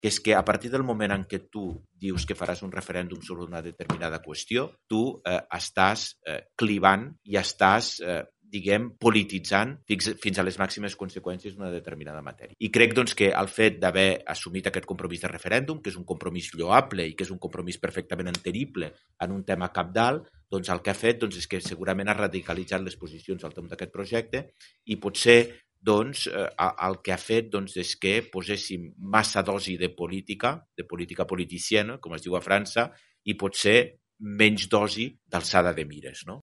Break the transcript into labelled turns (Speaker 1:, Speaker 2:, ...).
Speaker 1: que és que a partir del moment en què tu dius que faràs un referèndum sobre una determinada qüestió, tu estàs clivant i estàs polititzant fins a les màximes conseqüències d'una determinada matèria. I crec doncs, que el fet d'haver assumit aquest compromís de referèndum, que és un compromís lloable i que és un compromís perfectament entendible en un tema cabdal, doncs el que ha fet és que segurament ha radicalitzat les posicions al voltant d'aquest projecte i potser el que ha fet és que poséssim massa dosi de política politiciana, com es diu a França, i potser menys dosi d'alçada de mires, no?